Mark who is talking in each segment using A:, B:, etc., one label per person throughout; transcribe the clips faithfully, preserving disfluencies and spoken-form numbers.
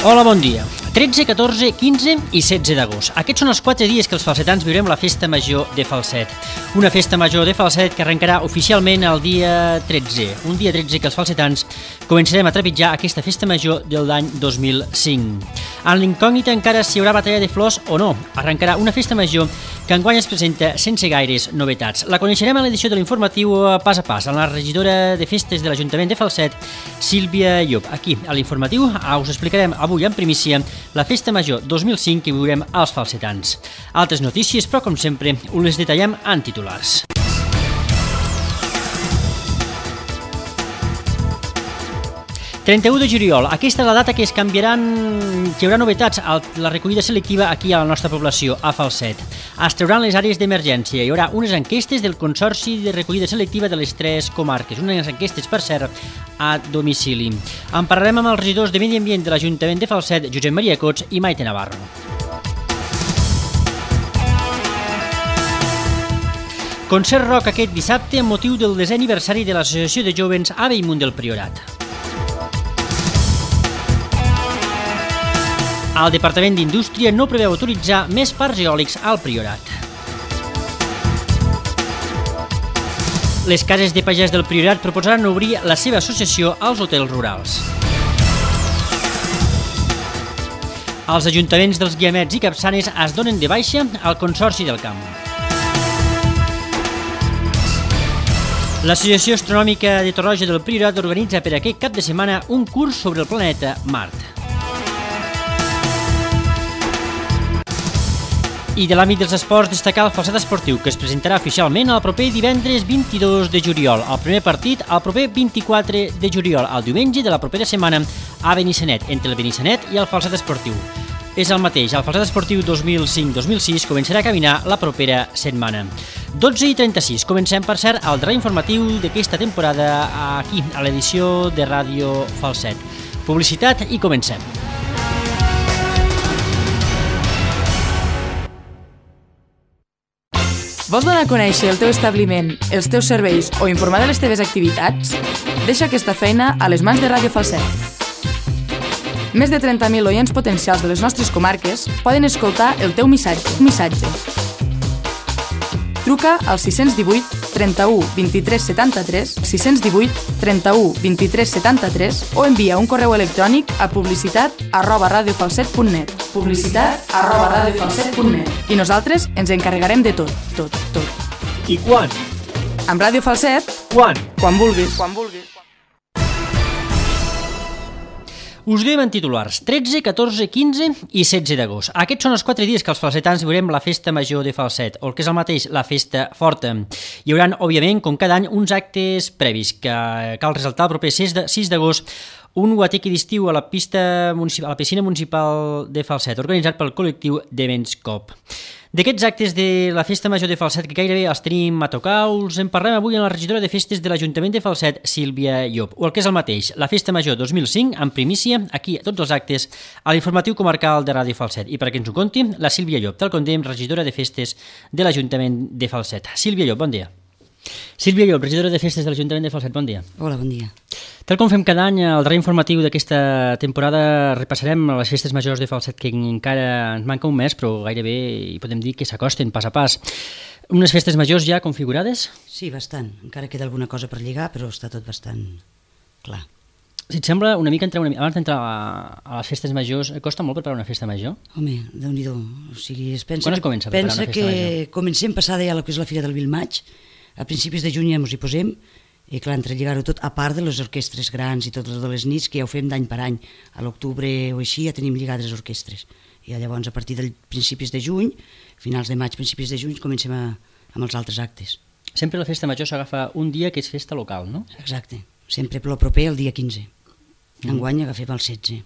A: Hola, bon dia. tretze, catorze, quinze i setze d'agost. Aquests són els quatre dies que els falsetans viurem la Festa Major de Falset. Una Festa Major de Falset que arrencarà oficialment el dia tretze. Un dia tretze que els falsetans començarem a trepitjar aquesta Festa Major de l'any dos mil cinc. En l'incògnita encara si hi haurà batalla de flors o no. Arrencarà una Festa Major que enguany es presenta sense gaires novetats. La coneixerem a l'edició de l'informatiu Pas a Pas, amb la regidora de Festes de l'Ajuntament de Falset, Sílvia Llop. Aquí, a l'informatiu, us explicarem avui en primícia la Festa Major dos mil cinc que viurem als falsetans. Altres notícies, però com sempre, us les detallem en titulars. trenta-u de juliol, aquesta és la data que es canviaran, que hi haurà novetats a la recollida selectiva aquí a la nostra població, a Falset. Es trauran les àrees d'emergència, hi haurà unes enquestes del Consorci de Recollida Selectiva de les tres comarques, unes enquestes, per cert, a domicili. En parlarem amb els regidors de Medi Ambient de l'Ajuntament de Falset, Josep Maria Cots i Maite Navarro. Concert rock aquest dissabte amb motiu del desè aniversari de l'Associació de Jovens a Bellmunt del Priorat. El Departament d'Indústria no preveu autoritzar més parcs eòlics al Priorat. Les cases de pagès del Priorat proposaran obrir la seva associació als hotels rurals. Els ajuntaments dels Guiamets i Capçanes es donen de baixa al Consorci del Camp. L'Associació Astronòmica de Torroja del Priorat organitza per aquest cap de setmana un curs sobre el planeta Mart. I de l'àmbit dels esports, destacar el Falset Esportiu, que es presentarà oficialment el proper divendres vint-i-dos de juliol. El primer partit el proper vint-i-quatre de juliol, el diumenge de la propera setmana a Benissanet, entre el Benissanet i el Falset Esportiu. És el mateix, el Falset Esportiu dos mil cinc dos mil sis començarà a caminar la propera setmana. dotze i trenta-sis, comencem, per cert, el darrer informatiu d'aquesta temporada aquí, a l'edició de Ràdio Falset. Publicitat i comencem.
B: Vols donar a conèixer el teu establiment, els teus serveis o informar de les teves activitats? Deixa aquesta feina a les mans de Ràdio Falset. Més de trenta mil oients potencials de les nostres comarques poden escoltar el teu missatge. missatge. Truca al sis cents divuit trenta-u vint-i-tres setanta-tres, sis cents divuit trenta-u vint-i-tres setanta-tres o envia un correu electrònic a publicitat arroba radiofalset punt net. Publicitat arroba radiofalset punt net. I nosaltres ens encarregarem de tot, tot, tot.
A: I quan?
B: Amb Ràdio Falset,
A: quan?
B: Quan vulguis. Quan vulguis.
A: Us diem en titulars, tretze, catorze, quinze i setze d'agost. Aquests són els quatre dies que els falsetans viurem la Festa Major de Falset, o el que és el mateix, la Festa Forta. Hi haurà, òbviament, com cada any, uns actes previs que cal resaltar el proper sis d'agost, un guateque d'estiu a la pista a la piscina municipal de Falset, organitzat pel col·lectiu Dements Cop. D'aquests actes de la Festa Major de Falset, que gairebé els tenim a tocar, us en parlem avui amb la regidora de Festes de l'Ajuntament de Falset, Sílvia Llop. O el que és el mateix, la Festa Major dos mil cinc, en primícia, aquí a tots els actes, a l'informatiu comarcal de Ràdio Falset. I perquè ens ho conti, la Sílvia Llop, tal com dèiem, regidora de Festes de l'Ajuntament de Falset. Sílvia Llop, bon dia. Sílvia Llop, regidora de Festes de l'Ajuntament de Falset, bon dia.
C: Hola, bon dia.
A: Tal com fem cada any, al darrer informatiu d'aquesta temporada repassarem les festes majors de Falset, que encara ens manca un mes, però gairebé hi podem dir que s'acosten pas a pas. Unes festes majors ja configurades?
C: Sí, bastant. Encara queda alguna cosa per lligar, però està tot bastant clar.
A: Si et sembla, una mica entrar una mica, abans d'entrar a, a les festes majors, costa molt preparar una festa major?
C: Home, Déu-n'hi-do. O sigui, es pensa
A: Quan es comença a preparar
C: pensa
A: una festa major?
C: que comencem passada ja el que és la Fira del Vilmaig, a principis de juny ja ens hi posem, i clar, entre lligar-ho tot, a part de les orquestres grans i totes de les nits, que ja ho fem d'any per any, a l'octubre o així ja tenim lligades les orquestres. I llavors, a partir dels principis de juny, finals de maig, principis de juny, comencem a, amb els altres actes.
A: Sempre la festa major s'agafa un dia que és festa local, no?
C: Exacte. Sempre per lo proper, el dia quinze. Enguany agafem el setze.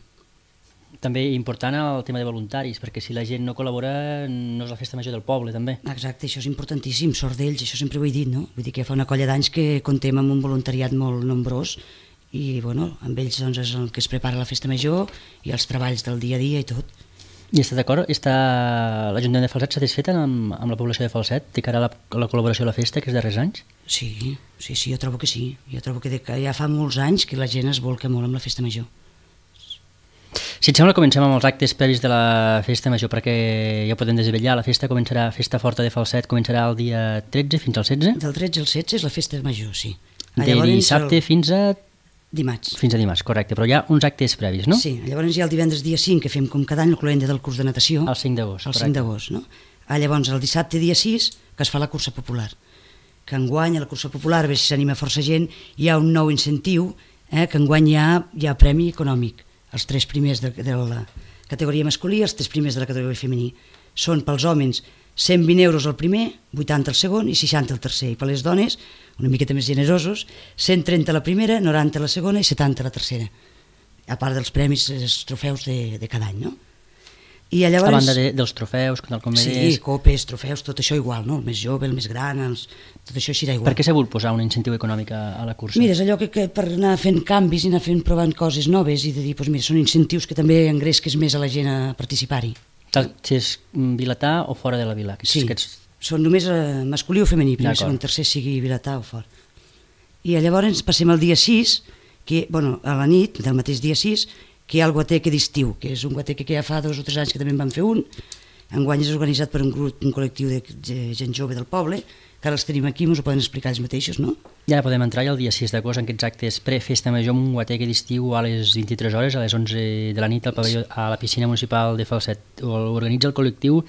A: També important el tema de voluntaris, perquè si la gent no col·labora no és la festa major del poble, també.
C: Exacte, això és importantíssim, sort d'ells, això sempre ho he dit, no? Vull dir que ja fa una colla d'anys que comptem amb un voluntariat molt nombrós i, bueno, amb ells doncs, és el que es prepara la festa major i els treballs del dia a dia i tot.
A: I està d'acord? Està l'Ajuntament de Falset satisfet amb, amb la població de Falset de cara a la, a la col·laboració a la festa aquests darrers anys?
C: Sí, sí, sí, jo trobo que sí. Jo trobo que, de, que ja fa molts anys que la gent es volca molt amb la festa major.
A: Si et sembla, comencem amb els actes previs de la festa major, perquè ja podem desvetllar. La festa començarà, festa forta de Falset, començarà el dia tretze fins al setze?
C: Del tretze al setze és la festa major, sí.
A: De dissabte el... fins a...
C: Dimarts.
A: Fins a dimarts, correcte, però hi ha uns actes previs, no?
C: Sí, llavors hi ha el divendres dia cinc, que fem com cada any el cloenda del curs de natació.
A: El cinc d'agost,
C: correcte. El cinc d'agost, no? Ah, llavors el dissabte dia sis, que es fa la cursa popular. Que enguany a la cursa popular, a veure si s'anima força gent, hi ha un nou incentiu, eh, que enguany hi ha, hi ha premi econòmic. Els tres primers de, de la categoria masculí i els tres primers de la categoria femení. Són pels homes cent vint euros el primer, vuitanta el segon i seixanta el tercer. I per les dones, una miqueta més generosos, cent trenta la primera, noranta la segona i setanta la tercera. A part dels premis, els trofeus de, de cada any, no? I llavors,
A: a banda de, dels trofeus, com
C: sí,
A: deies...
C: copes, trofeus, tot això igual, no? El més jove, el més gran, els... tot això serà igual.
A: Per què s'ha volgut posar un incentiu econòmic a, a la cursa?
C: Mira, és allò que, que per anar fent canvis i anar fent provant coses noves i de dir, doncs mira, són incentius que també engresques més a la gent a participar-hi.
A: Si és vilatà o fora de la vila? Aquests,
C: sí, aquests... són només eh, masculí o femení, primer, segon, tercer, sigui vilatà o fora. I llavors passem al dia sis, que, bueno, a la nit del mateix dia sis, que hi ha el guateque d'estiu, que és un guateque que ja fa dos o tres anys que també en van fer un. Enguany és organitzat per un grup, un col·lectiu de gent jove del poble, que ara els tenim aquí, ens ho poden explicar ells mateixos, no?
A: Ja podem entrar ja el dia sis d'agost en aquests actes pre-festa major amb un guateque d'estiu a les vint-i-tres hores, a les onze de la nit al pavelló, a la piscina municipal de Falset. Organitza el col·lectiu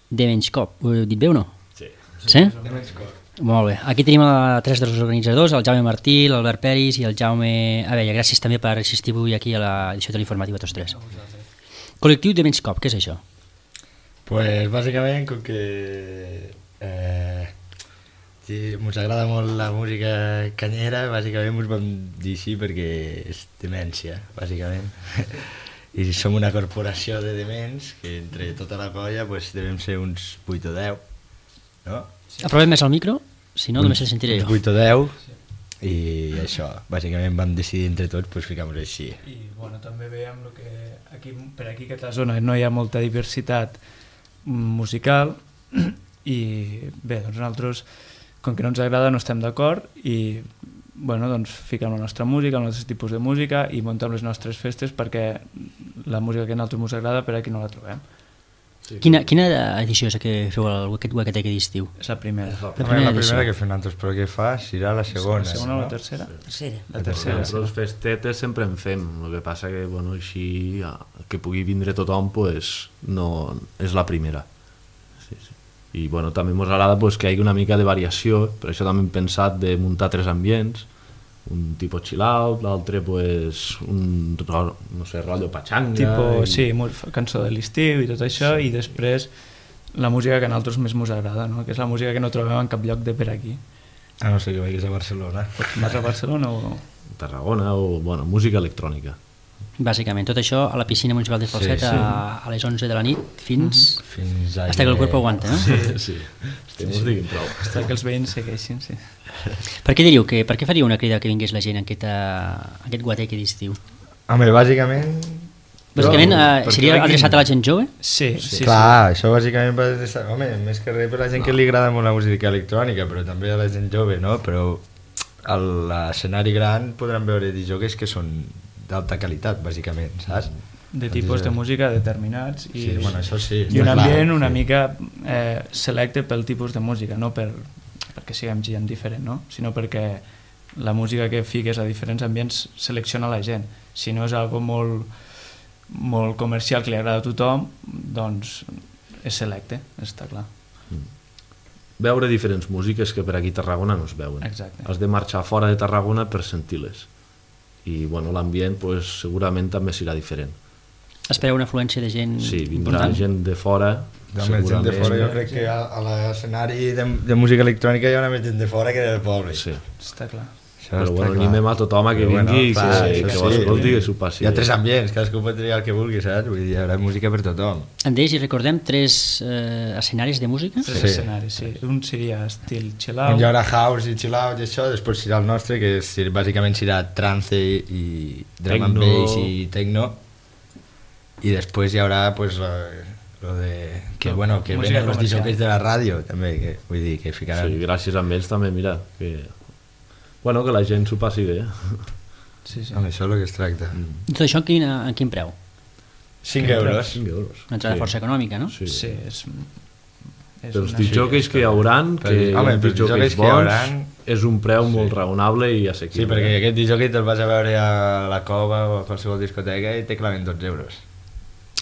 A: de Menyscop. Ho he dit bé o no?
D: Sí.
A: Sí?
D: De Menyscop.
A: Molt bé. Aquí tenim a tres dels organitzadors, el Jaume Martí, l'Albert Peris i el Jaume Abella. Gràcies també per assistir avui aquí a l'edició de l'informatiu a tots tres. Col·lectiu de Menyscop, què és això?
D: Pues bàsicament com que eh, sí, ens agrada molt la música canyera, bàsicament ens vam dir així perquè és demència, bàsicament. I som una corporació de dements que entre tota la colla pues, devem ser uns vuit o deu, no?
A: Aprovem més el micro, si no només el sentiré jo.
D: vuit o deu i això, bàsicament vam decidir entre tots pues, ficar-nos així.
E: I bueno, també veiem lo que aquí, per aquí a aquesta zona no hi ha molta diversitat musical i bé, doncs nosaltres com que no ens agrada no estem d'acord i bueno, doncs fiquem la nostra música, el nostre tipus de música i muntem les nostres festes perquè la música que a nosaltres ens agrada per aquí no la trobem.
A: Sí, quina, quina edició és que feu el Guateque d'estiu?
E: És la primera.
D: La primera, la primera que fem nosaltres, però què fa? Serà la segona.
E: La segona o
D: no?
E: la tercera?
C: Tercera.
E: La tercera.
F: Nosaltres sí. Festetes sempre en fem, el que passa que bueno, així ja, que pugui vindre tothom pues, no, és la primera. Sí, sí. I bueno, també ens agrada pues, que hi hagi una mica de variació, per això també hem pensat de muntar tres ambients, un tipus chill out, l'altre pues, un no sé, rotllo pachanga
E: tipo,
F: i...
E: sí, cançó de l'estiu i tot això sí. I després la música que a nosaltres més ens agrada, no? Que és la música que no trobem en cap lloc de per aquí.
D: A no sé que vagis a Barcelona.
E: Vas a Barcelona o...?
F: Tarragona o bueno, música electrònica.
A: Bàsicament, tot això a la piscina municipal de Falset sí, sí. A, a les onze de la nit fins...
D: Mm-hmm. Fins a...
A: Hasta que el cuerpo aguanta, no?
F: Sí, sí. Estem sí, sí. Prou.
E: Hasta que els veïns segueixin, sí.
A: Per què diríeu que, per què faria una crida que vingués la gent en aquest, a aquest guateque d'estiu?
D: Home, bàsicament...
A: Bàsicament eh, seria adreçat a la gent jove?
E: Sí, sí, sí.
D: Clar, sí. Això bàsicament va adreçar... Home, més que res per la gent no. que li agrada molt la música electrònica, però també a la gent jove, no? Però a l'escenari gran podran veure disjòquers que són d'alta qualitat, bàsicament, saps?
E: De tipus de música determinats i,
D: sí, bueno, això sí,
E: i un ambient
D: clar,
E: una
D: sí.
E: mica eh, selecte pel tipus de música, no per, perquè siguem gent diferent, no? Sinó perquè la música que fiques a diferents ambients selecciona la gent. Si no és algo molt, molt comercial que li agrada a tothom, doncs és selecte, està clar.
F: Mm. Veure diferents músiques que per aquí a Tarragona no es veuen.
E: Exacte.
F: Has de marxar fora de Tarragona per sentir-les. I bueno, l'ambient pues, segurament també serà diferent.
A: Espereu una afluència de gent
F: sí, vindrà
A: important?
F: Gent de fora
D: segurament. Gent de fora, jo crec que a, a l'escenari de, de música electrònica hi ha més gent de fora que del poble.
F: Sí.
E: Està clar.
F: Això però bueno, animem a tothom a que vingui bueno, i clar, que, que, que sí, escolti, que s'ho passi.
D: Hi ha tres ambients, cadascú pot triar el que vulgui, saps? Vull dir, hi haurà música per tothom.
A: Andrés, i recordem tres eh, escenaris de música?
E: Tres
D: sí.
E: escenaris, sí. Un seria estil chill out.
D: Hi haurà house i chill out i això, després serà el nostre, que és, bàsicament serà trance i drum and bass i techno. I després hi haurà, pues, lo, lo de... Que, no, bueno, que venen els disjòquers de la ràdio, també, que vull dir, que ficaran...
F: Sí, gràcies a ells també, mira, que... Bueno, que la gent s'ho passi bé.
E: Sí, sí.
D: Amb això és el que es tracta.
A: Mm. Tot això en quin, en quin preu?
D: cinc euros.
F: cinc euros.
A: Una entrada
F: Sí.
A: força econòmica, no?
F: Sí.
E: Sí, és... és
F: Pels
E: una-
F: disjockeys que hi hauran,
D: Per-
F: que
D: home,
F: hi ha
D: pels
F: disjockeys
D: disjockeys que hi
F: bons,
D: hauran-
F: és un preu molt raonable i
D: Sí,
F: assequible.
D: perquè aquest disjockey te'l vas a veure a la Cova o a qualsevol discoteca i te claven dotze euros.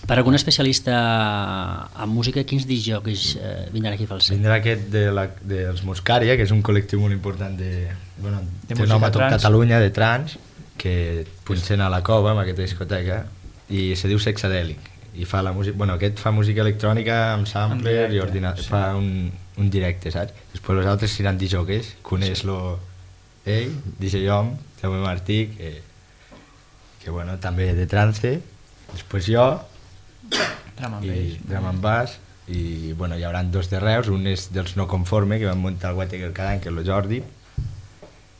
A: Per algun especialista en música, quins disjockeys eh, vindran aquí a Falset?
D: Vindrà aquest de la, dels Muscaria, que és un col·lectiu molt important de... Bueno,
E: De
D: té
E: música
D: nom a tot
E: trans.
D: Catalunya, de trans, que punxen a la Cova, en aquesta discoteca, i se diu Sexadèlic. I fa la música... Bueno, aquest fa música electrònica amb sampler
E: directe,
D: i ordinador.
E: sí.
D: Fa un, un directe, saps? Després els altres seran disjockeys. Coneix-lo ell, D J Hom, Jaume Martí, que, que bueno, també de trance. Després jo,
E: Drum and
D: i
E: bass.
D: drum and bass, i bueno, hi haurà dos de Reus, un és dels No Conforme, que van muntar el Guateque cada any, que és el Jordi,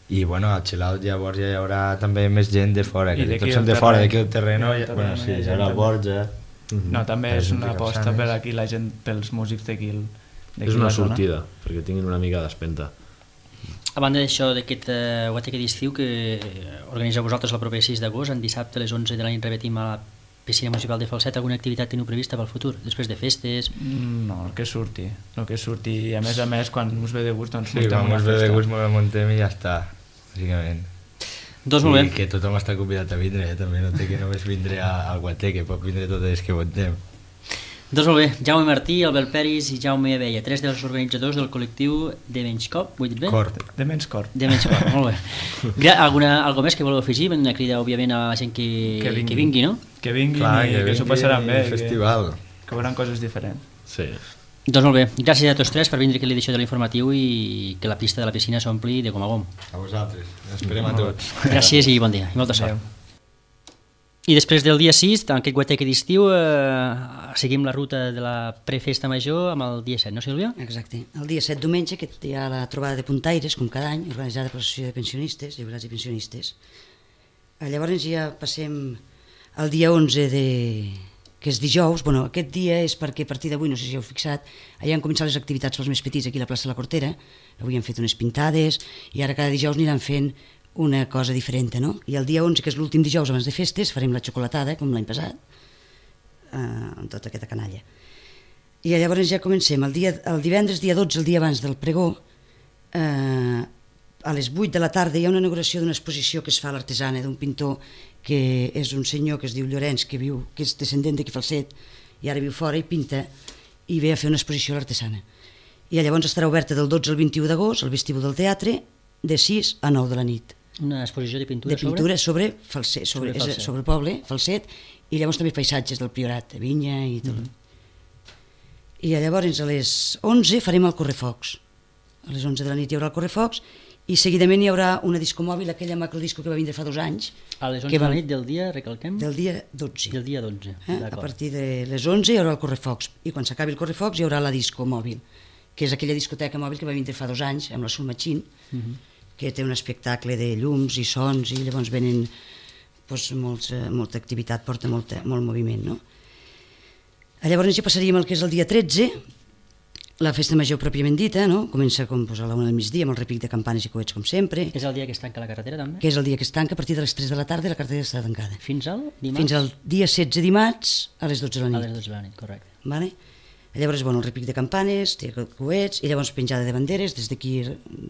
D: i bueno, al Chill Out llavors ja hi haurà també més gent de fora,
E: I
D: que
E: d'aquí
D: tots són
E: del
D: de fora,
E: terreny.
D: d'aquí del terreno,
E: Del
D: ja,
E: terreno
D: bueno, sí,
E: hi ha
D: hi
E: gent
D: haurà el
E: també.
D: Borja.
E: No, també
D: Per
E: és
D: exemple,
E: una aposta
D: Capçanes.
E: per aquí la gent, pels músics d'aquí. el- d'aquí
F: És una
E: la zona.
F: sortida, perquè tinguin una mica d'espenta.
A: A banda d'això, d'aquest uh, Guateque d'estiu que organitzeu vosaltres el proper sis d'agost, en dissabte a les onze de la nit repetim a la piscina municipal de Falset, alguna activitat teniu prevista pel futur, després de festes?
E: Mm, No, el que surti. El que surti. I a més a més, quan us ve de gust, doncs
D: Sí,
E: muntem
D: quan
E: una
D: us ve de
E: festa.
D: gust me la muntem i ja està, bàsicament.
A: Doncs molt
D: I
A: bé.
D: que tothom està convidat a vindre, eh? També no té que només vindre a- al Guateque, pot vindre totes les que votem.
A: Doncs molt bé, Jaume Martí, Albert Peris i Jaume Abella, tres dels organitzadors del col·lectiu de Menys Cop, ho he dit bé?
D: Cort.
E: De menys cor.
A: De Menys Cop, molt bé. Gra alguna, algo més que voleu afegir? Una crida, òbviament, a la gent que,
E: Que vingui.
A: que vingui, no?
E: Que vinguin
D: Clar,
E: i que s'ho passaran bé.
D: el festival.
E: Que, que veuran coses diferents.
F: Sí.
A: Doncs molt bé, gràcies a tots tres per vindre aquí a l'edició de l'informatiu i que la pista de la piscina s'ompli de com a gom.
D: A vosaltres. Esperem a tots.
A: Gràcies i bon dia, i molta sort.
E: Adéu.
A: I després del dia sis, en aquest guateque d'estiu, eh, seguim la ruta de la prefesta major amb el dia set, no Sílvia?
C: Exacte. El dia set diumenge, que hi ha la trobada de puntaires, com cada any, organitzada per l'Associació de Pensionistes, jubilats i pensionistes. Eh, Llavors ja passem al dia onze, de, que és dijous. Bueno, aquest dia és perquè a partir d'avui, no sé si heu fixat, allà han començat les activitats pels més petits aquí a la plaça de la Cortera. Avui han fet unes pintades i ara cada dijous aniran fent una cosa diferent, no? I el dia onze, que és l'últim dijous abans de festes, farem la xocolatada, com l'any passat, eh, amb tota aquesta canalla. I llavors ja comencem. El, dia, el divendres, dia dotze, el dia abans del pregó, eh, a les vuit de la tarda hi ha una inauguració d'una exposició que es fa a l'artesana d'un pintor que és un senyor que es diu Llorenç, que viu, que és descendent d'aquí Falset, i ara viu fora i pinta, i ve a fer una exposició a l'artesana. I llavors estarà oberta del dotze al vint-i-u d'agost al vestíbul del teatre, de sis a nou de la nit.
A: Una exposició de pintura,
C: De pintura sobre, Falset,
A: Sobre
C: sobre, sobre,
A: Falset.
C: sobre el poble, Falset, i llavors també paisatges del Priorat, de vinya i tot. Mm -hmm. I llavors a les onze farem el correfocs. A les onze de la nit hi haurà el correfocs i seguidament hi haurà una disco mòbil, aquella macrodisco que va vindre fa dos anys,
A: A les onze
C: que
A: de la
C: va-
A: nit del dia, recalquem?
C: del dia dotze.
A: Del dia dotze,
C: Eh? A
A: d'acord.
C: partir de les onze hi haurà el correfocs i quan s'acabi el correfocs hi haurà la disco mòbil, que és aquella discoteca mòbil que va vindre fa dos anys amb la Sulmachín,
A: Mhm.
C: que té un espectacle de llums i sons i llavors venen doncs, molts, eh, molta activitat, porta molta, molt moviment, no? Llavors ja passaríem al que és el dia tretze, la festa major pròpiament dita, no? Comença com doncs, a la una del migdia amb el repic de campanes i coets com sempre,
A: És el dia que es tanca la carretera, també?
C: que és el dia que es tanca a partir de les tres de la tarda i la carretera està tancada.
A: Fins al dimarts?
C: Fins al dia setze dimarts a les dotze de la
A: A
C: nit.
A: les dotze de la nit, correcte.
C: Vale? Llavors, bueno, el repic de campanes, té coets, i llavors penjada de banderes. Des d'aquí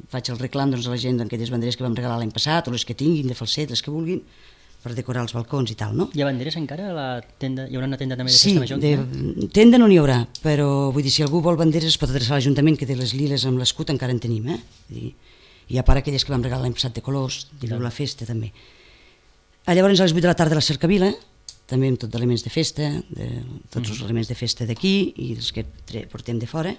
C: faig el reclam doncs, a la gent d'aquelles banderes que vam regalar l'any passat, o les que tinguin, de Falset, les que vulguin, per decorar els balcons i tal, no?
A: Hi ha banderes encara a la tenda? Hi haurà una tenda també de
C: Sí,
A: festa major?
C: de,
A: encara?
C: tenda no n'hi haurà, però vull dir, si algú vol banderes es pot adreçar a l'Ajuntament, que té les liles amb l'escut encara en tenim, eh? Vull dir, i a part aquelles que vam regalar l'any passat de colors, de viu la festa també. A llavors a les vuit de la tarda a la cercavila, també amb tot d'elements de festa, de, tots els elements de festa d'aquí i els que tre- portem de fora.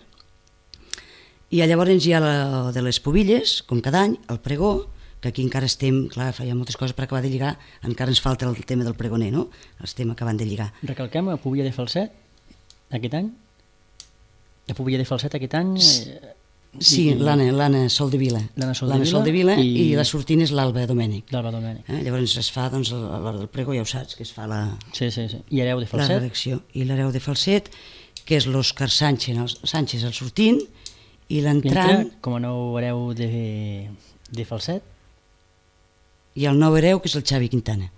C: I llavors hi ha la, de les pobilles, com cada any, el pregó, que aquí encara estem, clar, hi ha moltes coses per acabar de lligar, encara ens falta el tema del pregoner, no? Estem acabant de lligar.
A: Recalquem a Pubilla de Falset, aquest any? A Pubilla de Falset aquest any... Eh,
C: Sí,
A: i-
C: l'Anna, l'Anna Soldevila.
A: L'Anna Soldevila
C: Soldevila i...
A: i-
C: i la sortint és l'Alba Domènec.
A: D'Alba Domènec.
C: Eh? Llavors es fa, doncs, a l'hora del pregó, ja ho saps, que es fa la,
A: Sí, sí, sí. I hereu de
C: la
A: Falset?
C: redacció. I l'hereu de Falset, que és l'Òscar Sánchez, el- Sánchez el sortint, i l'entrant,
A: Entra com a nou hereu de, de Falset?
C: i el nou hereu, que és el Xavi Quintana.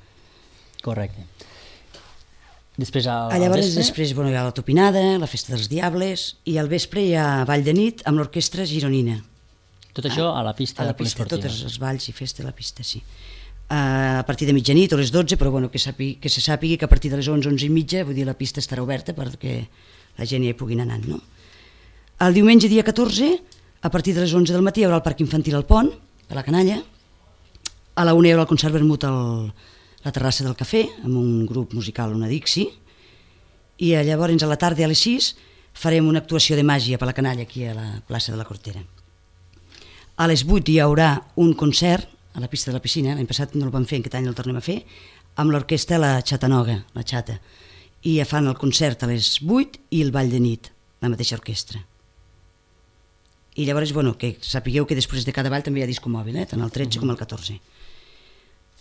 A: Correcte. Després al,
C: Ah, llavors,
A: al vespre?
C: després bueno, hi ha la topinada, la festa dels diables, i al vespre hi ha ball de nit amb l'orquestra gironina.
A: Tot això a la pista
C: A la
A: de
C: pista,
A: poliesportiva.
C: tots els balls i festa a la pista, sí. Uh, a partir de mitjanit o les dotze, però bueno, que, sàpigui, que se sàpigui que a partir de les onze, onze i mitja, vull dir, la pista estarà oberta perquè la gent hi pugui anar anant, no? El diumenge, dia catorze, a partir de les onze del matí hi haurà el parc infantil al Pont, a la Canalla. A la una hi haurà el concert vermut a la terrassa del cafè, amb un grup musical, una Dixi, i llavors a la tarda a les sis farem una actuació de màgia per la Canalla aquí a la plaça de la Cortera. A les vuit hi haurà un concert a la pista de la piscina, l'any passat no el vam fer, aquest any el tornem a fer, amb l'orquestra La Xatanoga, la Xata, i ja fan el concert a les vuit i el ball de nit, la mateixa orquestra. I llavors, bueno, que sapigueu que després de cada ball també hi ha disco mòbil, eh? Tant el tretze com el catorze.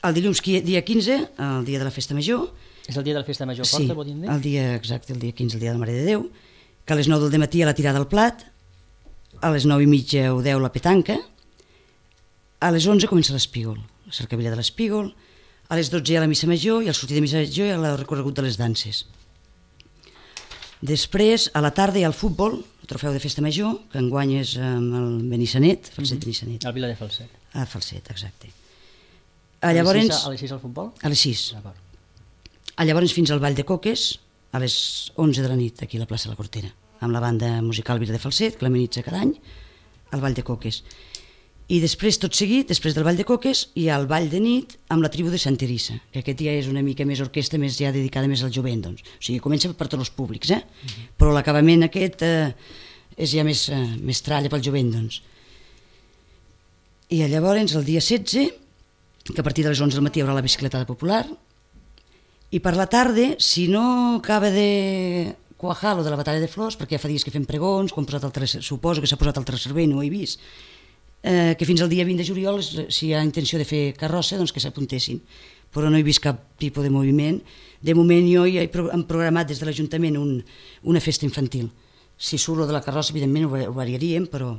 C: El dilluns, dia quinze, el dia de la festa major...
A: És el dia de la festa major
C: sí,
A: forta, vol dir?
C: el dia exacte, el dia quinze, el dia de la Mare de Déu, que a les nou del matí a la tirada al plat, a les nou i mitja o deu la petanca, a les onze comença l'espígol, la cercavilla de l'espígol, a les dotze hi ha la missa major i al sortir de missa major hi ha el recorregut de les danses. Després, a la tarda hi ha el futbol, el trofeu de festa major, que enguany és amb el Benissanet, Falset Benissanet.
A: El Vila de Falset.
C: Ah, Falset, exacte.
A: A,
C: A, llavors,
A: les sis, a les sis al futbol?
C: a les sis.
A: D'acord.
C: A llavors fins al Ball de Coques, a les onze de la nit, aquí a la plaça de la Cortera, amb la banda musical Vila de Falset, que l'amenitza cada any, al Ball de Coques. I després, tot seguit, després del Ball de Coques, hi ha el Ball de nit amb la tribu de Sant Teresa, que aquest dia és una mica més orquestra, més ja dedicada més al jovent, doncs. O sigui, comença per tots els públics, eh? Uh-huh. Però l'acabament aquest eh, és ja més, eh, més tralla pel jovent, doncs. I llavors, el dia setze, que a partir de les onze del matí hi haurà la bicicletada popular, i per la tarda, si no acaba de quajar lo de la batalla de flors, perquè ja fa dies que fem pregons, com posat el tres, suposo que s'ha posat el servei, no ho he vist, eh, que fins al dia vint de juliol, si hi ha intenció de fer carrossa, doncs que s'apuntessin. Però no he vist cap tipus de moviment. De moment jo ja he programat des de l'Ajuntament un, una festa infantil. Si surt lo de la carrossa, evidentment ho, ho variaríem, però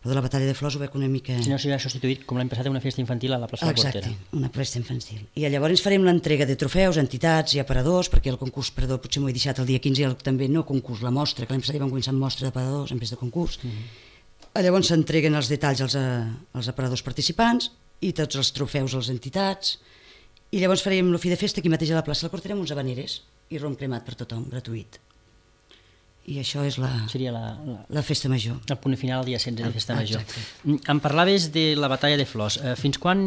C: lo de la batalla de flors ho veig una mica...
A: Si no s'hi ha substituït, com l'any passat, una festa infantil a la plaça
C: Exacte,
A: de la Cortera.
C: una festa infantil. I llavors farem l'entrega de trofeus a entitats i a paradors, perquè el concurs parador potser m'ho he deixat el dia quinze, i el, també no concurs, la mostra, que l'any passat ja vam començar amb mostra de paradors en vez de concurs. Mm-hmm. Llavors s'entreguen els detalls als, als aparadors participants i tots els trofeus a les entitats. I llavors farem el fi de festa aquí mateix a la plaça de la Cortera amb uns habaneres i rom cremat per tothom, gratuït. I això és la,
A: Seria la, la,
C: la festa major.
A: el punt final el dia setze de festa major.
C: Exacte.
A: Em parlaves de la batalla de flors. Eh, Fins quan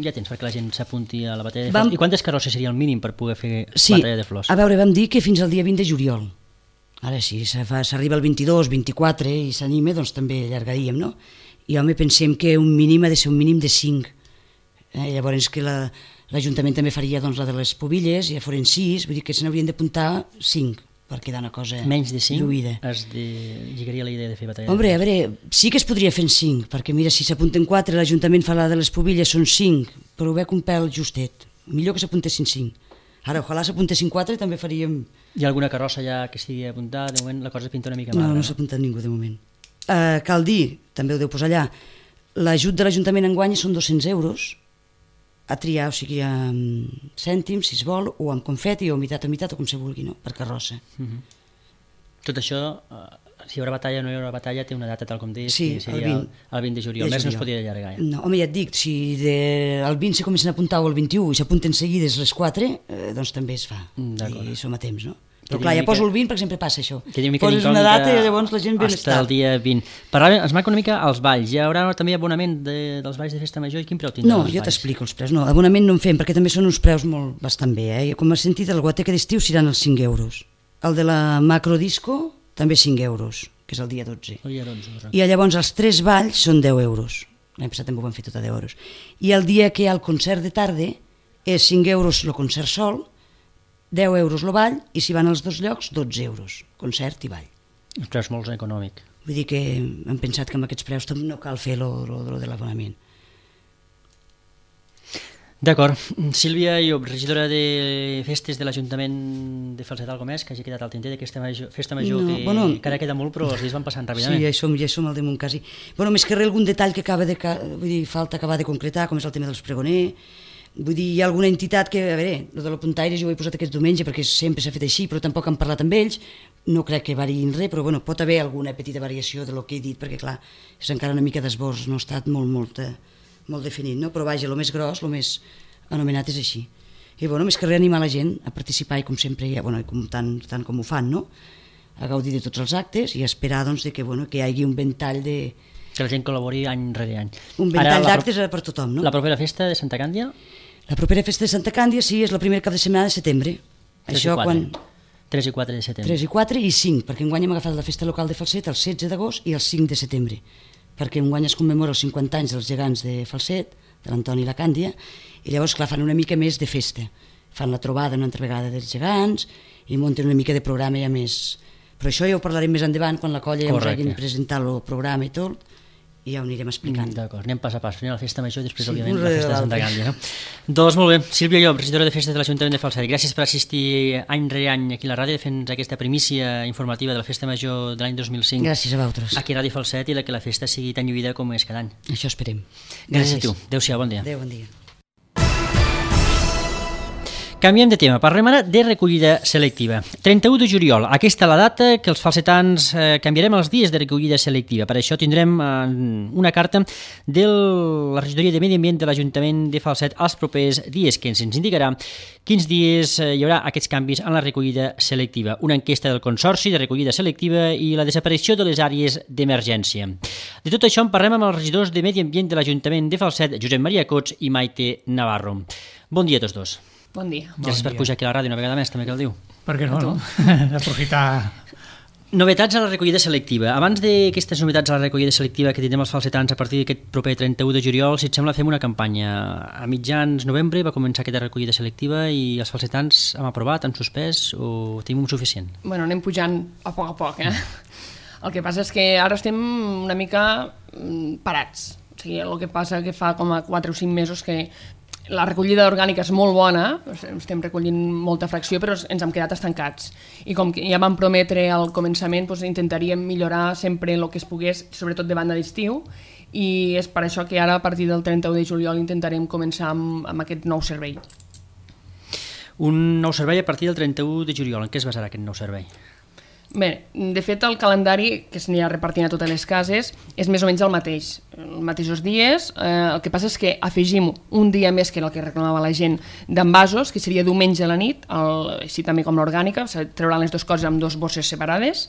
A: ja tens perquè la gent s'apunti a la batalla de
C: Vam-
A: flors? I quantes carrosses seria el mínim per poder fer
C: Sí,
A: batalla de flors?
C: a veure, vam dir que fins al dia vint de juliol. Ara sí, se fa- s'arriba el vint-i-dos, vint-i-quatre i s'anima, doncs també allargaríem, no? I home, pensem que un mínim ha de ser un mínim de cinc. Eh, llavors que la- l'Ajuntament també faria doncs, la de les pobilles, ja foren sis, vull dir que se n'haurien d'apuntar cinc per quedar una cosa
A: Menys de cinc
C: lluïda.
A: es de... lligaria la idea de fer batalla
C: Hombre,
A: de
C: a
A: flors.
C: veure, sí que es podria fer en cinc, perquè mira, si s'apunten quatre, l'Ajuntament fa la de les pobilles, són cinc, però ho veig un pèl justet. Millor que s'apuntessin cinc. Ara, ojalà s'apuntessin quatre i també faríem...
A: Hi ha alguna carrossa ja que estigui apuntada? De moment la cosa pinta una mica
C: No,
A: magra.
C: no s'ha apuntat ningú de moment. Uh, cal dir, també ho deu posar allà, l'ajut de l'Ajuntament enguany són dos-cents euros a triar, o sigui, amb cèntims, si es vol, o amb confeti, o mitat a mitat, o com se vulgui, no? Per carrossa.
A: Mhm. Tot això, eh, si hi haurà batalla o no hi haurà batalla, té una data tal com deies,
C: Sí,
A: que seria
C: el vint.
A: el, el vint de juliol.
C: De
A: Més no es
C: juliol.
A: podia allargar. Ja.
C: No, home, ja et dic, si de, el vint se comencen a apuntar o el vint-i-u i s'apunten seguides les quatre, eh, doncs també es fa.
A: Mm, d'acord.
C: I som a temps, no?
A: Que
C: Però clar,
A: digui
C: ja poso
A: que-
C: el vint, per exemple, passa això.
A: Que una mica
C: Poses una
A: d'incògnita
C: data i llavors la gent ve més
A: hasta el
C: tard.
A: dia vint. Parlàvem, ens marca una mica els balls. Hi haurà també abonament de, dels balls de festa major i quin preu tindrà
C: No,
A: els
C: jo
A: balls?
C: t'explico els preus. No, abonament no en fem, perquè també són uns preus molt bastant bé. Eh? Com has sentit, el guateca d'estiu seran els cinc euros. El de la macrodisco també cinc euros, que és el dia dotze.
A: El dia dotze. doncs.
C: I llavors els tres balls són deu euros. L'any passat també ho vam fer tot a deu euros. I el dia que hi ha el concert de tarda és cinc euros el concert sol, deu euros el ball, i si van als dos llocs, dotze euros, concert i ball.
A: Els preus molt econòmic.
C: Vull dir que hem pensat que amb aquests preus també no cal fer lo, lo, lo de l'abonament.
A: D'acord. Sílvia Llop, regidora de festes de l'Ajuntament de Falset Algomés, que hagi quedat al tinter d'aquesta major, festa major
C: No,
A: que
C: bueno,
A: encara queda molt, però els dies van passant
C: Sí,
A: ràpidament.
C: ja hi som, ja hi som al damunt quasi. Bueno, més que res algun detall que acaba de, ca- vull dir, falta acabar de concretar, com és el tema dels pregoner, Vull dir, hi ha alguna entitat que, a veure, el de l'Apuntaire jo ho he posat aquest diumenge perquè sempre s'ha fet així, però tampoc han parlat amb ells, no crec que variïn res, però bueno, pot haver alguna petita variació de lo que he dit, perquè clar, és encara una mica d'esbós, no ha estat molt, molt, molt definit, no? Però vaja, el més gros, el més anomenat és així. I bueno, més que reanimar la gent a participar i com sempre, bueno, com, tant, tant com ho fan, no? A gaudir de tots els actes i esperar doncs, de que, bueno, que hi hagi un ventall de...
A: Que la gent col·labori any rere any.
C: Un ventall d'actes per tothom, no?
A: La propera festa de Santa Càndia?
C: La propera festa de Santa Càndia, sí, és la primera cap de setmana de setembre.
A: Això quan... tres i quatre de setembre.
C: tres i quatre i cinc, perquè enguany hem agafat la festa local de Falset el setze d'agost i el cinc de setembre, perquè enguany es commemora els cinquanta anys dels gegants de Falset, de l'Antoni i la Càndia, i llavors, clar, fan una mica més de festa. Fan la trobada una altra vegada dels gegants i munten una mica de programa ja més... Però això ja ho parlarem més endavant, quan la colla ja ens hagin presentat el programa i tot, i ja ho anirem explicant.
A: D'acord, anem pas a pas. Primer la festa major i després, sí, òbviament,
C: la
A: festa de Santa Càndia. No? Doncs molt bé, Sílvia Llop, regidora de festes de l'Ajuntament de Falset, gràcies per assistir any rere any aquí a la ràdio fent aquesta primícia informativa de la festa major de l'any dos mil cinc.
C: Gràcies a vosaltres.
A: Aquí a Ràdio Falset i la que la festa sigui tan lluïda com és cada any.
C: Això esperem.
A: Gràcies, gràcies a tu. Adéu-siau, bon dia.
C: Adéu, bon dia.
A: Canviem de tema, parlem ara de recollida selectiva. trenta-u de juliol, aquesta la data que els falsetans eh, canviarem els dies de recollida selectiva. Per això tindrem eh, una carta de la regidoria de Medi Ambient de l'Ajuntament de Falset als propers dies, que ens indicarà quins dies eh, hi haurà aquests canvis en la recollida selectiva. Una enquesta del Consorci de Recollida Selectiva i la desaparició de les àrees d'emergència. De tot això en parlem amb els regidors de Medi Ambient de l'Ajuntament de Falset, Josep Maria Cots i Maite Navarro. Bon dia a tots dos.
G: Bon dia.
A: Gràcies per pujar aquí a la ràdio una vegada més, també que el diu.
H: Per què no, no? Aprofitar...
A: Novetats a la recollida selectiva. Abans d'aquestes novetats a la recollida selectiva que tindrem els falsetans a partir d'aquest proper trenta-u de juliol, si et sembla, fem una campanya. A mitjans novembre va començar aquesta recollida selectiva i els falsetans hem aprovat, han suspès o tenim un suficient?
G: Bueno, anem pujant a poc a poc, eh? El que passa és que ara estem una mica parats. O sigui, el que passa que fa com a quatre o cinc mesos que la recollida orgànica és molt bona, estem recollint molta fracció, però ens hem quedat estancats. I com que ja vam prometre al començament, doncs intentaríem millorar sempre el que es pogués, sobretot de banda d'estiu, i és per això que ara, a partir del trenta-u de juliol, intentarem començar amb, amb aquest nou servei.
A: Un nou servei a partir del trenta-u de juliol. En què es basarà aquest nou servei?
G: Bé, de fet el calendari que s'anirà repartint a totes les cases és més o menys el mateix, els mateixos dies, eh, el que passa és que afegim un dia més que el que reclamava la gent d'envasos, que seria diumenge a la nit, el, així també com l'orgànica, trauran les dues coses amb dues bosses separades,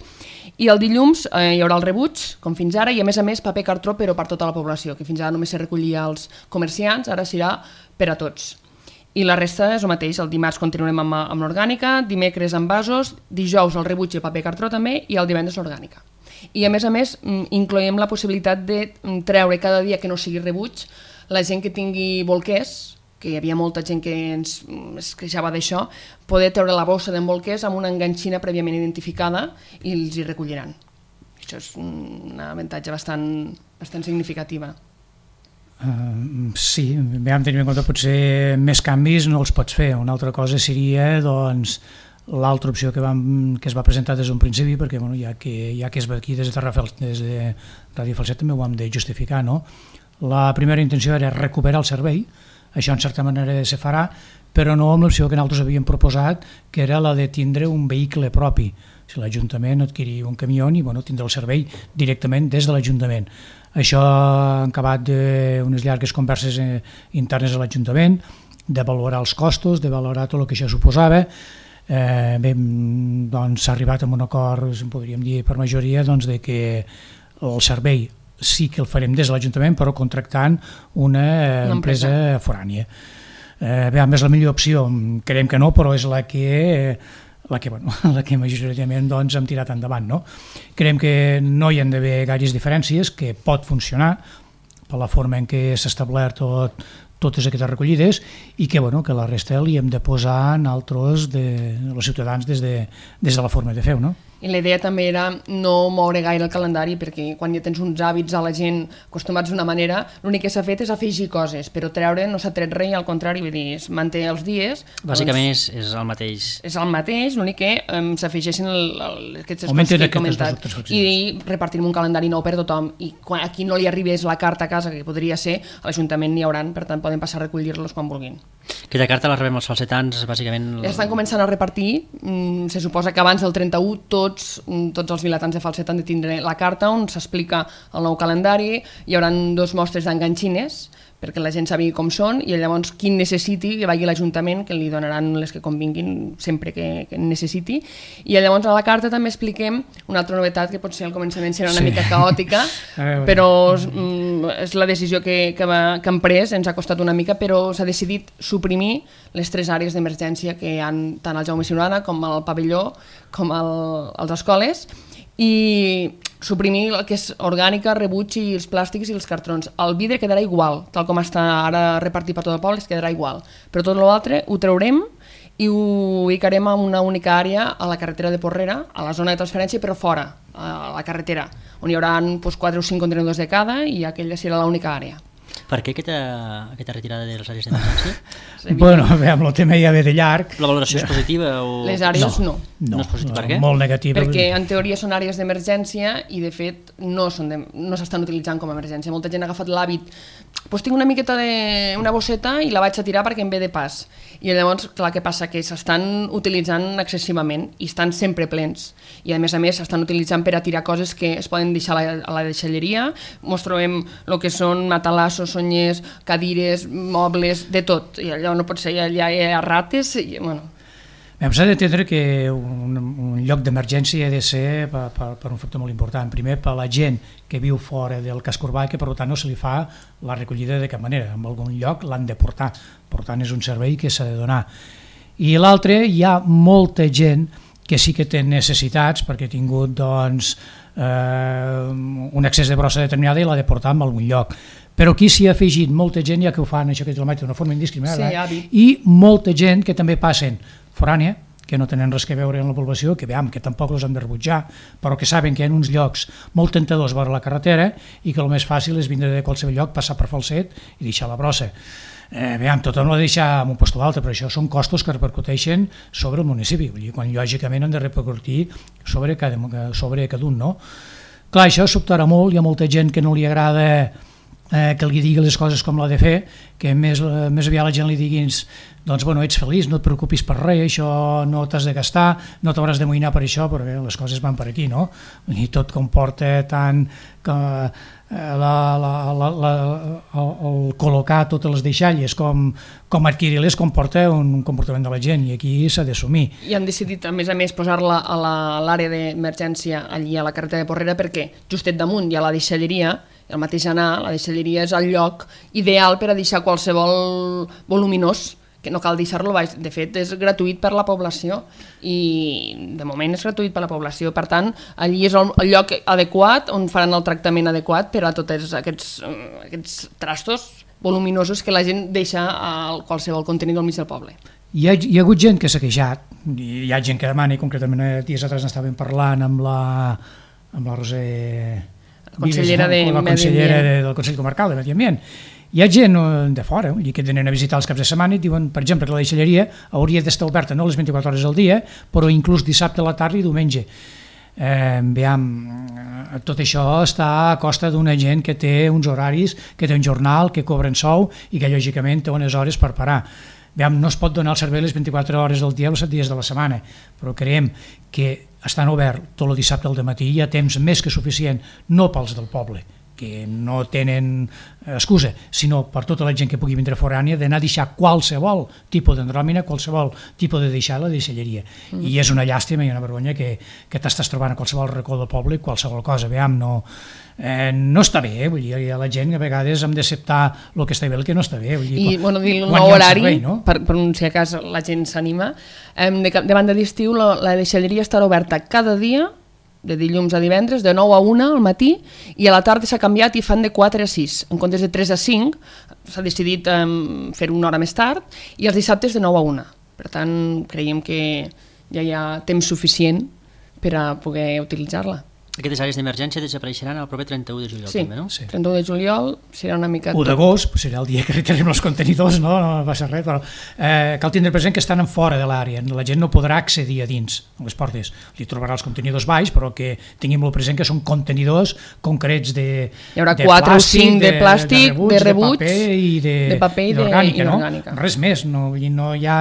G: i el dilluns eh, hi haurà el rebuig, com fins ara, i a més a més paper cartró però per tota la població, que fins ara només se recollia als comerciants, ara serà per a tots. I la resta és el mateix, el dimarts continuarem amb, amb l'orgànica, dimecres amb vasos, dijous el rebuig i paper cartró també i el divendres l'orgànica. I a més a més incloem la possibilitat de treure cada dia que no sigui rebuig la gent que tingui bolquers, que hi havia molta gent que ens es queixava d'això, poder treure la bossa d'en bolquers amb una enganxina prèviament identificada i els hi recolliran. Això és un avantatge bastant, bastant significativa.
H: Uh, sí, vam tenir en compte potser més canvis no els pots fer. Una altra cosa seria doncs, l'altra opció que, vam, que es va presentar des d'un principi, perquè bueno, ja, que, ja que és aquí des de Terrafels, des de Ràdio Falset també ho hem de justificar, no? La primera intenció era recuperar el servei, això en certa manera se farà, però no amb l'opció que nosaltres havíem proposat, que era la de tindre un vehicle propi. Si l'Ajuntament adquirir un camió i bueno, tindre el servei directament des de l'Ajuntament. Això ha acabat d'unes llargues converses internes a l'Ajuntament, de valorar els costos, de valorar tot el que això suposava. Eh, bé, doncs s'ha arribat a un acord, podríem dir per majoria, doncs, de que el servei sí que el farem des de l'Ajuntament, però contractant una, una empresa, empresa forània. Eh, bé, a més, la millor opció, creiem que no, però és la que... la que, bueno, la que majoritàriament doncs, hem tirat endavant. No? Creiem que no hi ha d'haver gaires diferències, que pot funcionar per la forma en què s'ha establert tot, totes aquestes recollides i que, bueno, que la resta li hem de posar en altres de, els ciutadans des de, des de la forma de fer-ho. No?
G: I la idea també era no moure gaire el calendari, perquè quan ja tens uns hàbits a la gent acostumats d'una manera, l'únic que s'ha fet és afegir coses, però treure no s'ha tret res, al contrari, vull dir, es manté els dies.
A: Bàsicament
G: doncs,
A: és, és el mateix.
G: És el mateix, l'únic que um, s'afegeixen aquestes
H: Augmenten
G: coses que he
H: aquestes
G: comentat
H: dos
G: i repartim un calendari nou per tothom, i quan a qui no li arribés la carta a casa, que podria ser, a l'Ajuntament n'hi hauran, per tant poden passar a recollir-los quan vulguin.
A: Aquesta carta la rebem els falsetans, bàsicament...
G: Ja estan començant a repartir, mm, se suposa que abans del trenta-u tots, tots els vilatans de falset han de tindre la carta on s'explica el nou calendari, hi haurà dos mostres d'enganxines perquè la gent sàpiga com són, i llavors qui necessiti que vagi a l'Ajuntament, que li donaran les que convinguin sempre que, que necessiti. I llavors a la carta també expliquem una altra novetat que potser al començament serà una
H: Sí.
G: mica caòtica, però mm, és la decisió que, que, va, que hem pres, ens ha costat una mica, però s'ha decidit suprimir les tres àrees d'emergència que hi ha tant al Jaume Siurana com al pavelló com al, als escoles, i suprimir el que és orgànica, rebuig i els plàstics i els cartrons. El vidre quedarà igual, tal com està ara repartit per tot el poble, es quedarà igual. Però tot l'altre ho traurem i ho ubicarem en una única àrea a la carretera de Porrera, a la zona de transferència, però fora, a la carretera, on hi haurà doncs, quatre o cinc contenidors de cada, i aquella serà l'única àrea.
A: Per què aquesta, aquesta retirada de les àrees d'emergència?
H: Bueno, bé, amb el tema ja ve de llarg.
A: La valoració és positiva? O...
G: Les àrees no.
A: No, no és positiu. Per què?
H: Molt negativa.
G: Perquè en teoria són àrees d'emergència i de fet no són de, no s'estan utilitzant com a emergència. Molta gent ha agafat l'hàbit, doncs tinc una miqueta de una bosseta i la vaig a tirar perquè em ve de pas. I llavors, clar, què passa? Que s'estan utilitzant excessivament i estan sempre plens. I a més a més s'estan utilitzant per a tirar coses que es poden deixar a la, a la deixalleria. Mos trobem el que són matalassos, sonyers, cadires, mobles, de tot. I allò no pot ser, allà hi ha rates i, bueno...
H: S'ha d'entendre que un, un lloc d'emergència ha de ser per, per, per un factor molt important. Primer, per la gent que viu fora del casc urbà, que per tant no se li fa la recollida de cap manera. En algun lloc l'han de portar. Per tant, és un servei que s'ha de donar. I l'altre, hi ha molta gent que sí que té necessitats perquè ha tingut doncs, eh, un excés de brossa determinada i l'ha de portar en algun lloc. Però aquí s'hi ha afegit molta gent, ja que ho fan això que quilomètric d'una forma indiscriminada,
G: sí,
H: i molta gent que també passen forània, que no tenen res que veure amb la població, que veiem que tampoc els hem de rebutjar, però que saben que hi ha uns llocs molt tentadors vora la carretera i que el més fàcil és vindre de qualsevol lloc, passar per Falset i deixar la brossa. Eh, veiem, tothom no ha de deixar en un lloc o altre, però això són costos que repercuteixen sobre el municipi, vull dir, quan lògicament han de repercutir sobre cada, sobre cada un, no? Clar, això sobtarà molt, hi ha molta gent que no li agrada eh, que li digui les coses com l'ha de fer, que més, més aviat la gent li diguins doncs bueno, ets feliç, no et preocupis per res, això no t'has de gastar, no t'hauràs de moïnar per això, però bé, les coses van per aquí, no? I tot comporta tant que la, la, la, la, el, el col·locar totes les deixalles com, com adquirir-les comporta un comportament de la gent i aquí s'ha d'assumir.
G: I han decidit, a més a més, posar-la a l'àrea d'emergència allí a la carretera de Porrera perquè justet damunt hi ha la deixalleria, el mateix anar, la deixalleria és el lloc ideal per a deixar qualsevol voluminós, que no cal deixar-lo baix, de fet és gratuït per la població i de moment és gratuït per la població, per tant allí és el, el lloc adequat on faran el tractament adequat per a tots aquests, aquests trastos voluminosos que la gent deixa a qualsevol contenidor al mig del poble.
H: Hi ha, hi ha hagut gent que s'ha queixat, hi ha gent que demana, i concretament dies atrás n'estàvem parlant amb la, amb la Roser
G: consellera, de
H: la consellera de, del Consell Comarcal de Medi Ambient. Hi ha gent de fora que tenen a visitar els caps de setmana i diuen, per exemple, que la deixalleria hauria d'estar oberta no les vint-i-quatre hores al dia, però inclús dissabte a la tarda i diumenge. Eh, veiem, tot això està a costa d'una gent que té uns horaris, que té un jornal, que cobren sou i que lògicament té unes hores per parar. Veiem, no es pot donar el servei les vint-i-quatre hores del dia els set dies de la setmana, però creiem que estan oberts tot el dissabte al dematí, hi ha temps més que suficient, no pels del poble, que no tenen excusa, sinó per tota la gent que pugui vindre forània, d'anar a deixar qualsevol tipus d'endròmina, qualsevol tipus de deixar a la deixalleria. Mm. I és una llàstima i una vergonya que, que t'estàs trobant a qualsevol racó del poble, qualsevol cosa, veiem, no, eh, no està bé, vull dir, la gent a vegades hem d'acceptar el que està bé i el que no està bé. Vull dir,
G: I, bueno, dir un
H: quan
G: nou
H: hi ha un
G: horari,
H: servei, no?
G: per, per si a cas la gent s'anima, eh, de, de banda d'estiu la, la deixalleria estarà oberta cada dia, de dilluns a divendres, de nou a una al matí, i a la tarda s'ha canviat i fan de quatre a sis. En comptes de tres a cinc, s'ha decidit um, fer una hora més tard, i els dissabtes de nou a una. Per tant, creiem que ja hi ha temps suficient per a poder utilitzar-la.
A: Aquestes àrees d'emergència desapareixeran el proper trenta-u de juliol,
G: Sí,
A: també, no?
G: sí. trenta-u de juliol serà una mica...
H: u d'agost, pues serà el dia que retirem els contenidors, no, no va ser res, però eh, cal tindre present que estan en fora de l'àrea, la gent no podrà accedir a dins, a les portes, li trobarà els contenidors baix, però que tinguem present que són contenidors concrets de
G: Hi haurà
H: de
G: quatre
H: plàstic,
G: o cinc de plàstic, de, de rebuig,
H: de paper i de,
G: de paper i
H: d'orgànica, no?
G: d'orgànica.
H: Res més, no, no, hi ha,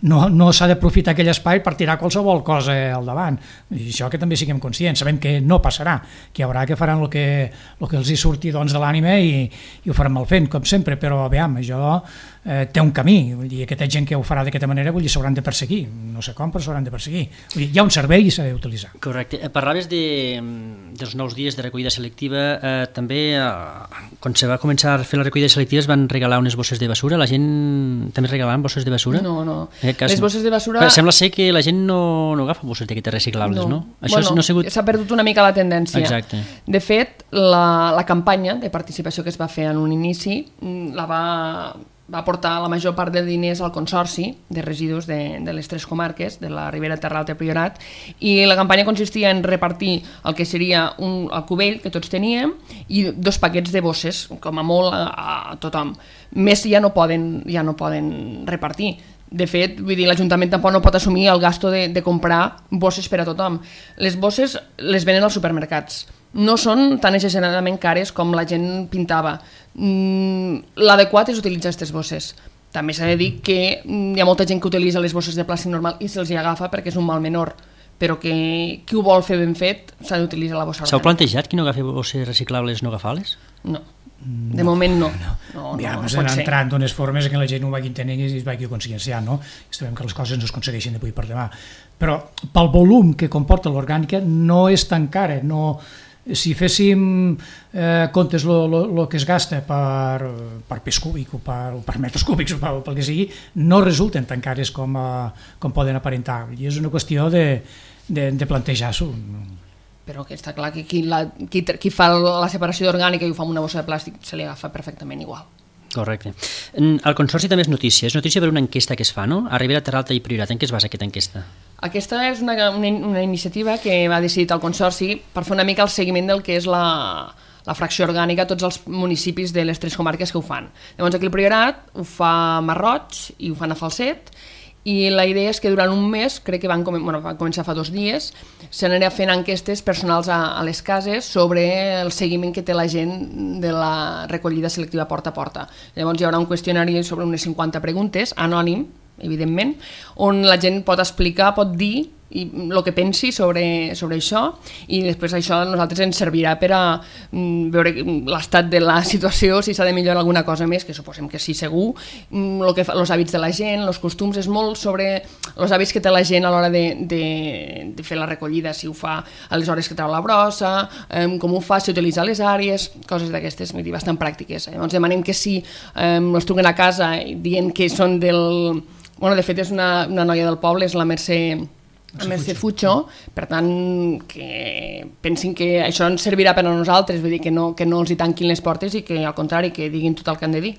H: no, no s'ha d'aprofitar aquell espai per tirar qualsevol cosa al davant, i això que també siguem conscients, sabem que no passarà, que hi haurà que faran el que, el que els hi surti doncs, de l'ànima i, i ho faran mal fent, com sempre, però aviam, això eh, té un camí, vull dir, aquesta gent que ho farà d'aquesta manera vull dir, s'hauran de perseguir, no sé com, però s'hauran de perseguir. Vull dir, hi ha un servei i s'ha d'utilitzar.
A: Correcte. Parlaves de, dels nous dies de recollida selectiva, eh, també eh, quan se va començar a fer la recollida selectiva es van regalar unes bosses de basura, la gent també regalaven bosses de basura?
G: No, no.
A: Cas,
G: les bosses de basura...
A: Però sembla ser que la gent no, no agafa bosses d'aquestes reciclables, no? no? Això
G: bueno,
A: no ha sigut...
G: s'ha perdut una mica la tendència.
A: Exacte.
G: De fet, la, la campanya de participació que es va fer en un inici la va, va portar la major part de diners al Consorci de Residus de, de les tres comarques, de la Ribera, Terra Alta i Priorat, i la campanya consistia en repartir el que seria un, el cubell que tots teníem i dos paquets de bosses, com a molt a, a tothom. Més ja no poden, ja no poden repartir. De fet, vull dir, l'Ajuntament tampoc no pot assumir el gasto de, de comprar bosses per a tothom. Les bosses les venen als supermercats. No són tan exageradament cares com la gent pintava. Mm, l'adequat és utilitzar aquestes bosses. També s'ha de dir que hi ha molta gent que utilitza les bosses de plàstic normal i se'ls hi agafa perquè és un mal menor, però que qui ho vol fer ben fet s'ha d'utilitzar la bossa orgànica.
A: S'heu plantejat qui no agafi bosses reciclables no agafar-les?
G: No. De moment no. no. no, no
H: ja,
G: no
H: no pot entrant d'unes formes que la gent ho vagi entenent i es vagi conscienciant, no? I sabem que les coses no es aconsegueixen d'avui per demà. Però pel volum que comporta l'orgànica no és tan cara. No, si féssim eh, comptes el que es gasta per, per pes cúbic o per, o per metres cúbics o per, pel que sigui, no resulten tan cares com, eh, com poden aparentar. I és una qüestió de, de, de plantejar-s'ho.
G: Però que està clar que qui, la, qui, qui fa la separació d'orgànica i ho fa amb una bossa de plàstic se li agafa perfectament igual.
A: Correcte. El Consorci també és notícia, és notícia per una enquesta que es fa, no? A Ribera, Terra Alta i Priorat. En què es basa aquesta enquesta?
G: Aquesta és una, una, una iniciativa que va decidir el Consorci per fer una mica el seguiment del que és la, la fracció orgànica a tots els municipis de les tres comarques que ho fan. Llavors aquí el Priorat ho fa a Masroig i ho fan a Falset, i la idea és que durant un mes, crec que van, com, bueno, van començar fa dos dies, s'anirà fent enquestes personals a, a les cases sobre el seguiment que té la gent de la recollida selectiva porta a porta. Llavors hi haurà un qüestionari sobre unes cinquanta preguntes, anònim, evidentment, on la gent pot explicar, pot dir i el que pensi sobre, sobre això, i després això a nosaltres ens servirà per a mm, veure l'estat de la situació, si s'ha de millorar alguna cosa més, que suposem que sí, segur, mm, lo que fa, els hàbits de la gent, els costums, és molt sobre els hàbits que té la gent a l'hora de, de, de fer la recollida, si ho fa a les hores que treu la brossa, eh, com ho fa, si utilitza les àrees, coses d'aquestes, vull dir, bastant pràctiques. Llavors demanem que si eh, els truquen a casa dient que són del... Bueno, de fet és una, una noia del poble, és la Mercè a Mercè Fucho, per tant que pensin que això ens servirà per a nosaltres, vull dir que no, que no els hi tanquin les portes i que al contrari que diguin tot el que han de dir.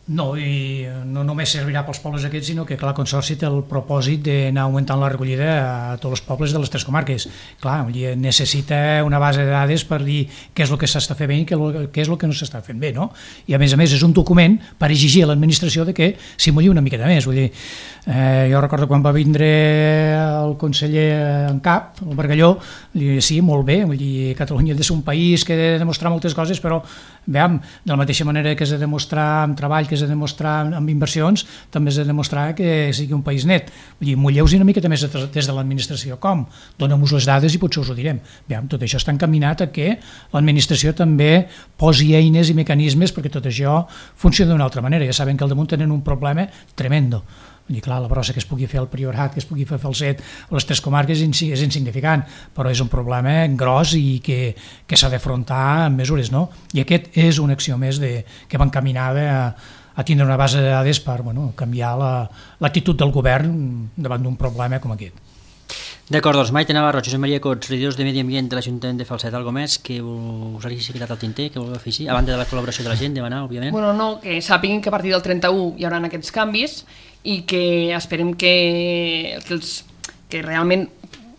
H: No, i no només servirà pels pobles aquests, sinó que clar, el Consorci té el propòsit d'anar augmentant la recollida a tots els pobles de les tres comarques. Clar, necessita una base de dades per dir què és el que s'està fent bé i què és el que no s'està fent bé, no? I a més a més és un document per exigir a l'administració de que s'hi mulli una miqueta més. Vull dir, eh, jo recordo quan va vindre el conseller en cap, el Bargalló, li deia, sí, molt bé, vull dir, Catalunya ha de ser un país que ha de demostrar moltes coses, però veiem, de la mateixa manera que s'ha de demostrar amb treball, que s'ha de demostrar amb inversions, també s'ha de demostrar que sigui un país net. Vull dir, mulleu-vos una miqueta més des de l'administració. Com? Dóna-mos les dades i potser us ho direm. Veiem, tot això està encaminat a que l'administració també posi eines i mecanismes perquè tot això funcioni d'una altra manera. Ja saben que al damunt tenen un problema tremendo. Vull dir, clar, la brossa que es pugui fer al Priorat, que es pugui fer al Falset, a les tres comarques és insignificant, però és un problema gros i que, que s'ha d'afrontar amb mesures, no? I aquest és una acció més de, que va encaminada a, a tindre una base de dades per bueno, canviar l'actitud la, del govern davant d'un problema com aquest.
A: D'acord, doncs Maite Navarro, Josep Maria Cots, regidors de Medi Ambient de l'Ajuntament de Falset, algo més que us hagi quedat al tinter, que vulgueu afegir, a banda de la col·laboració de la gent, demanar, òbviament?
G: Bueno, no, que sàpiguen que a partir del trenta-u hi haurà aquests canvis i que esperem que, que, els, que realment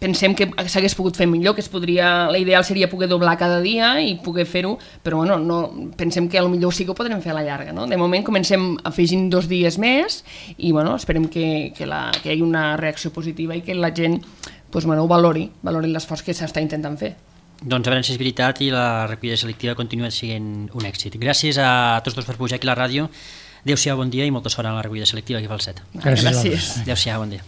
G: pensem que s'hagués pogut fer millor, que es podria, l'ideal seria poder doblar cada dia i poder fer-ho, però bueno, no, pensem que potser sí que ho podrem fer a la llarga, no? De moment comencem afegint dos dies més i bueno, esperem que, que, la, que hi hagi una reacció positiva i que la gent pues, bueno, ho valori, valori l'esforç que s'està intentant fer.
A: Doncs a veure si és veritat i la recollida selectiva continua sent un èxit. Gràcies a tots dos per pujar aquí a la ràdio. Adéu-siau, bon dia i molta sort en la recollida selectiva aquí a Falset.
H: Gràcies.
G: Gràcies.
A: Adéu-siau, bon dia.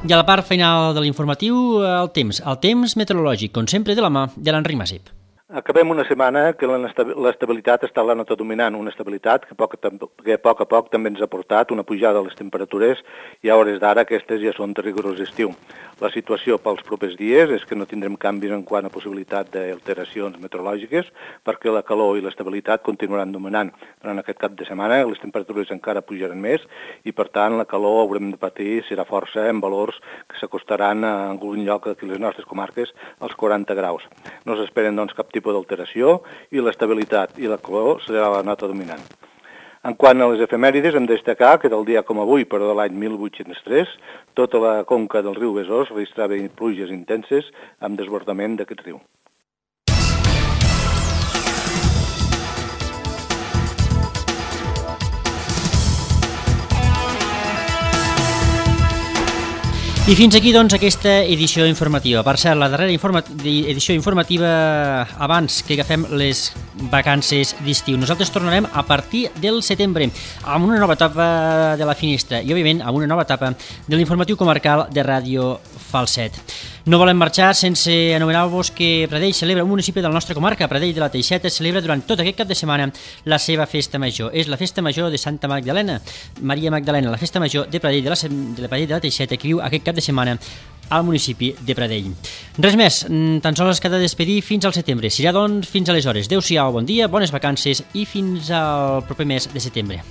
A: I a la part final de l'informatiu, el temps. El temps meteorològic, com sempre, de la mà de l'Enric Masip.
I: Acabem una setmana que l'estabilitat està a la nota dominant, una estabilitat que, poc, que a poc a poc també ens ha portat una pujada de les temperatures i a hores d'ara aquestes ja són de rigorós estiu. La situació pels propers dies és que no tindrem canvis en quant a possibilitat d'alteracions meteorològiques perquè la calor i l'estabilitat continuaran dominant. Durant aquest cap de setmana les temperatures encara pujaran més i per tant la calor haurem de patir serà força en valors que s'acostaran a algun lloc d'aquí les nostres comarques als quaranta graus. No s'esperen doncs cap tipus d'alteració i l'estabilitat i la calor serà la nota dominant. En quant a les efemèrides, hem de destacar que del dia com avui, però de l'any mil vuit-cents tres, tota la conca del riu Besòs registrava pluges intenses amb desbordament d'aquest riu.
A: I fins aquí, doncs, aquesta edició informativa. Per cert, la darrera informa edició informativa abans que agafem les vacances d'estiu. Nosaltres tornarem a partir del setembre amb una nova etapa de la Finestra i, òbviament, amb una nova etapa de l'informatiu comarcal de Ràdio Falset. No volem marxar sense anomenar-vos que Pradell celebra un municipi de la nostra comarca. Pradell de la Teixeta celebra durant tot aquest cap de setmana la seva festa major. És la festa major de Santa Magdalena, Maria Magdalena, la festa major de Pradell de la, de la, Pradell de la Teixeta, que viu aquest cap de setmana al municipi de Pradell. Res més, tan sols queda despedir fins al setembre. Serà, doncs, fins aleshores. Adéu-siau, bon dia, bones vacances i fins al proper mes de setembre.